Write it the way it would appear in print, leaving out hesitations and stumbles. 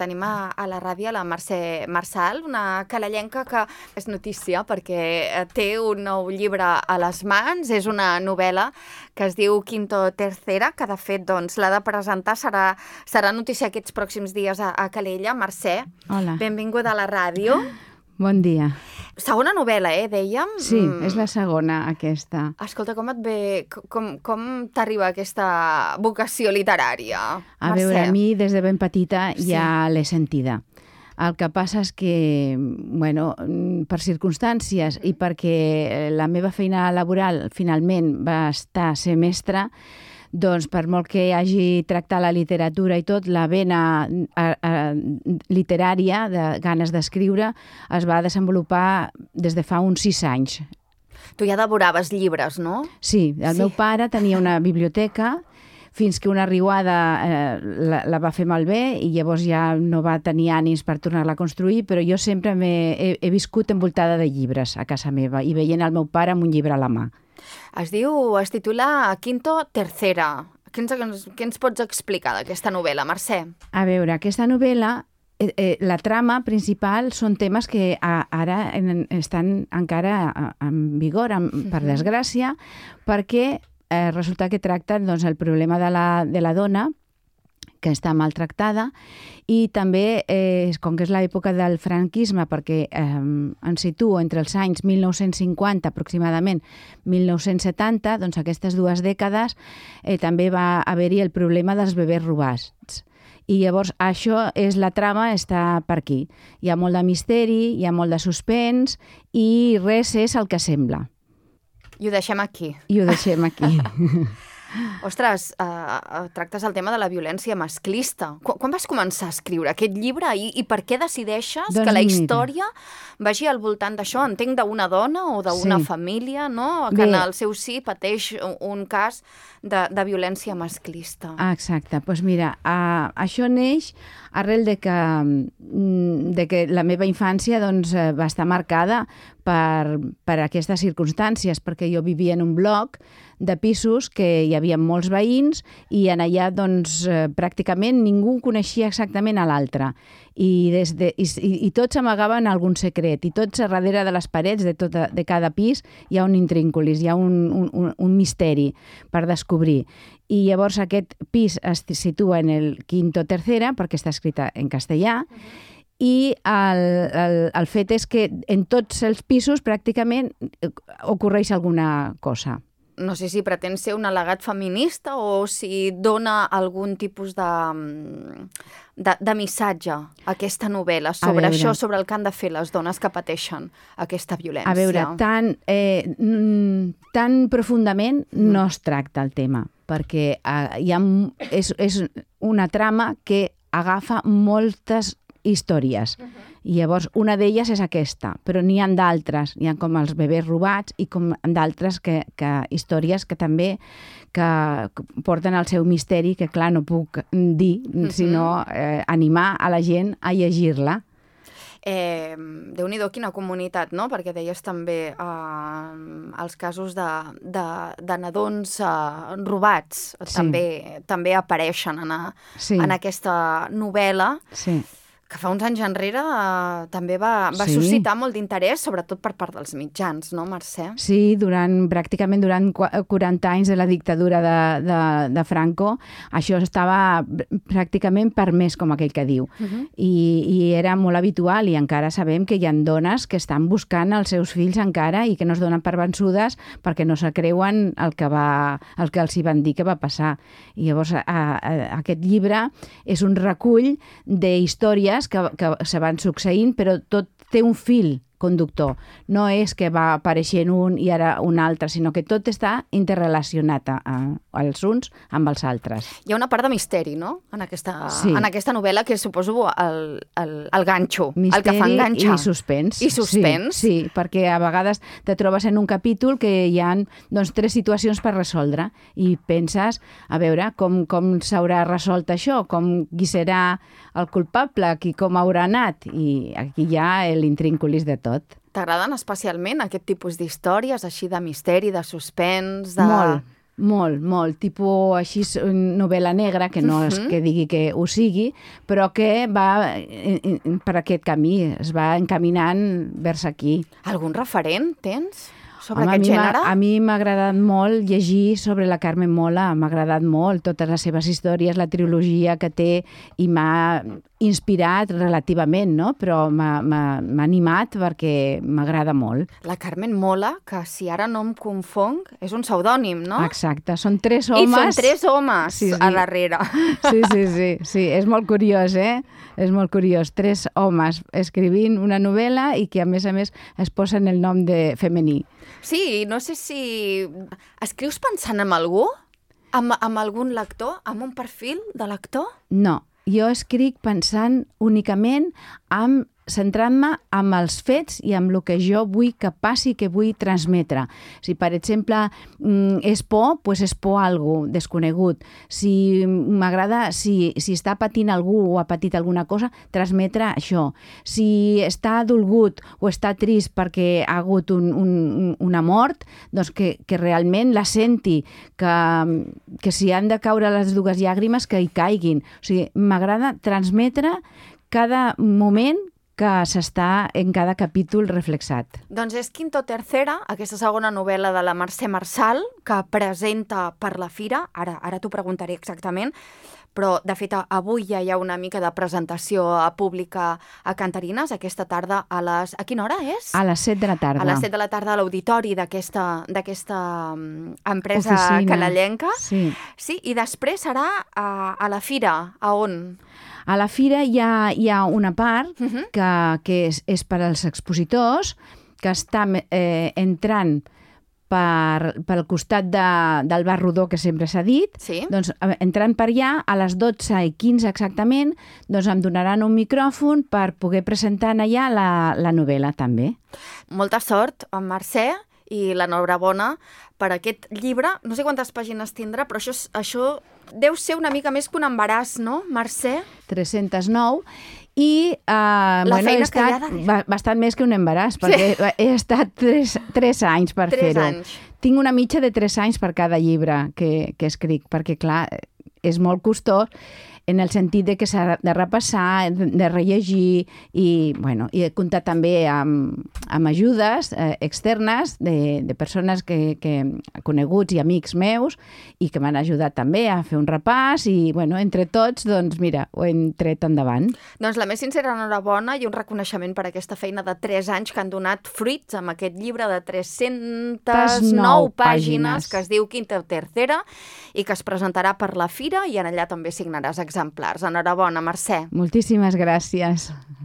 tenim a la ràdio la Mercè Marçal, una calellenca que és notícia perquè té un nou llibre a les mans. És una novel·la que es diu Quinto Tercera, que de fet l'ha de presentar, serà notícia aquests pròxims dies a Calella. Mercè, hola. Benvinguda a la ràdio. Bon dia. Segona novel·la, dèiem? Sí, és la segona, aquesta. Escolta, com et ve, com t'arriba aquesta vocació literària, Mercè? A veure, a mi des de ben petita ja l'he sentida. El que passa és que, bueno, per circumstàncies i perquè la meva feina laboral finalment va estar a ser mestra, doncs per molt que hagi tractat la literatura i tot, la vena literària, de ganes d'escriure, es va desenvolupar des de fa uns 6 anys. Tu ja devoraves llibres, no? Sí, el meu pare tenia una biblioteca fins que una riuada la va fer malbé i llavors ja no va tenir ànims per tornar-la a construir, però jo sempre he viscut envoltada de llibres a casa meva i veient el meu pare amb un llibre a la mà. Es titula Quinto Tercera. Què ens pots explicar d'aquesta novel·la, Mercè? A veure, aquesta novel·la, la trama principal són temes que ara estan encara en vigor, per desgràcia, perquè resulta que tracten el problema de la dona que està maltractada i també, com que és l'època del franquisme, perquè ens situo entre els anys 1950 aproximadament 1970, doncs aquestes 2 dècades també va haver-hi el problema dels bebès robats. I llavors això és la trama, està per aquí. Hi ha molt de misteri, hi ha molt de suspens i res és el que sembla. I ho deixem aquí. I ho deixem aquí. Ostres, tractes el tema de la violència masclista. Quan vas començar a escriure aquest llibre i per què decideixes que la història vagi al voltant d'això? Entenc d'una dona o d'una família, no? Que en el seu si pateix un cas de violència masclista. Exacte. Doncs mira, això neix arrel de que la meva infància va estar marcada per aquestes circumstàncies, perquè jo vivia en un bloc de pisos que hi havia molts veïns i en allà pràcticament ningú coneixia exactament a l'altre i tots amagaven algun secret i tots a darrere de les parets de cada pis hi ha un intrínculis, hi ha un misteri per descobrir. I llavors aquest pis es situa en el Quinto Tercera perquè està escrita en castellà i el fet és que en tots els pisos pràcticament ocorreix alguna cosa. No sé si pretén ser un al·legat feminista o si dona algun tipus de missatge a aquesta novel·la sobre això, sobre el que han de fer les dones que pateixen aquesta violència. A veure, tan profundament no es tracta el tema, perquè és una trama que agafa moltes històries. I llavors una d'elles és aquesta, però n'hi ha d'altres, n'hi ha com els bebès robats i com d'altres històries que també porten el seu misteri, que clar no puc dir, sinó animar a la gent a llegir-la. Déu-n'hi-do, quina comunitat, no? Perquè deies també els casos de nadons robats també apareixen en aquesta novel·la. Sí. Que fa uns anys enrere també va suscitar molt d'interès, sobretot per part dels mitjans, no, Mercè? Sí, pràcticament durant 40 anys de la dictadura de Franco, això estava pràcticament permès, com aquell que diu. I era molt habitual i encara sabem que hi ha dones que estan buscant els seus fills encara i que no es donen per vençudes perquè no se creuen el que els hi van dir que va passar. I llavors aquest llibre és un recull d'històries que se van succeint, però tot té un fil conductor. No és que va apareixent un i ara un altre, sinó que tot està interrelacionat els uns amb els altres. Hi ha una part de misteri, no?, en aquesta novel·la, que suposo el ganxo, el que fa enganxar. Misteri i suspens. I suspens. Sí, perquè a vegades te trobes en un capítol que hi ha 3 situacions per resoldre i penses, a veure, com s'haurà resolt això, qui serà el culpable, com haurà anat, i aquí hi ha l'intrínculis de tot. T'agraden especialment aquest tipus d'històries, així de misteri, de suspens? Molt, Molt, molt. Tipus així novel·la negra, que no és que digui que ho sigui, però que va per aquest camí, es va encaminant vers aquí. Algun referent tens sobre aquest gènere? A mi m'ha agradat molt llegir sobre la Carmen Mola, m'ha agradat molt totes les seves històries, la trilogia que té, i m'ha inspirat relativament, no? Però m'ha animat perquè m'agrada molt. La Carmen Mola, que si ara no em confonc, és un pseudònim, no? Exacte, són 3 homes. I són 3 homes a darrere. Sí, és molt curiós, És molt curiós. 3 homes escrivint una novel·la i que, a més, es posen el nom de femení. Sí, no sé si... Escrius pensant en algú? Amb algun lector? Amb un perfil de lector? No, jo escric pensant únicament centrant-me en els fets i en el que jo vull que passi, que vull transmetre. Si, per exemple, és por, doncs és por a algú desconegut. Si m'agrada, si està patint algú o ha patit alguna cosa, transmetre això. Si està dolgut o està trist perquè ha hagut una mort, doncs que realment la senti, que si han de caure les 2 llàgrimes, que hi caiguin. O sigui, m'agrada transmetre cada moment que s'està en cada capítol reflexat. Doncs és Quinto Tercera, aquesta segona novel·la de la Mercè Marçal, que presenta per la Fira. Ara t'ho preguntaré exactament, però de fet avui ja hi ha una mica de presentació pública a Cantarines, aquesta tarda a les... A quina hora és? A les 7 de la tarda. A les 7 de la tarda a l'auditori d'aquesta empresa canallenca. Sí, i després serà a la Fira. A on? A la Fira hi ha una part que és per als expositors, que està entrant pel costat del bar rodó, que sempre s'ha dit. Doncs entrant per allà, a les 12:15 exactament, doncs em donaran un micròfon per poder presentar allà la novel·la també. Molta sort, en Mercè, i l'enhorabona per aquest llibre. No sé quantes pàgines tindrà, però això deu ser una mica més que un embaràs, no, Mercè? 309. I he estat bastant més que un embaràs, perquè he estat 3 anys per fer-ho. Tinc una mitja de 3 anys per cada llibre que escric, perquè, clar, és molt costós en el sentit de que s'ha de repassar, de rellegir, i he comptat també amb ajudes externes de persones coneguts i amics meus, i que m'han ajudat també a fer un repàs, i entre tots, doncs mira, ho hem tret endavant. Doncs la més sincera enhorabona i un reconeixement per aquesta feina de 3 anys que han donat fruits amb aquest llibre de 309 pàgines que es diu Quinta Tercera i que es presentarà per la Fira, i en allà també signaràs exemplars. Enhorabona, Mercè. Moltíssimes gràcies.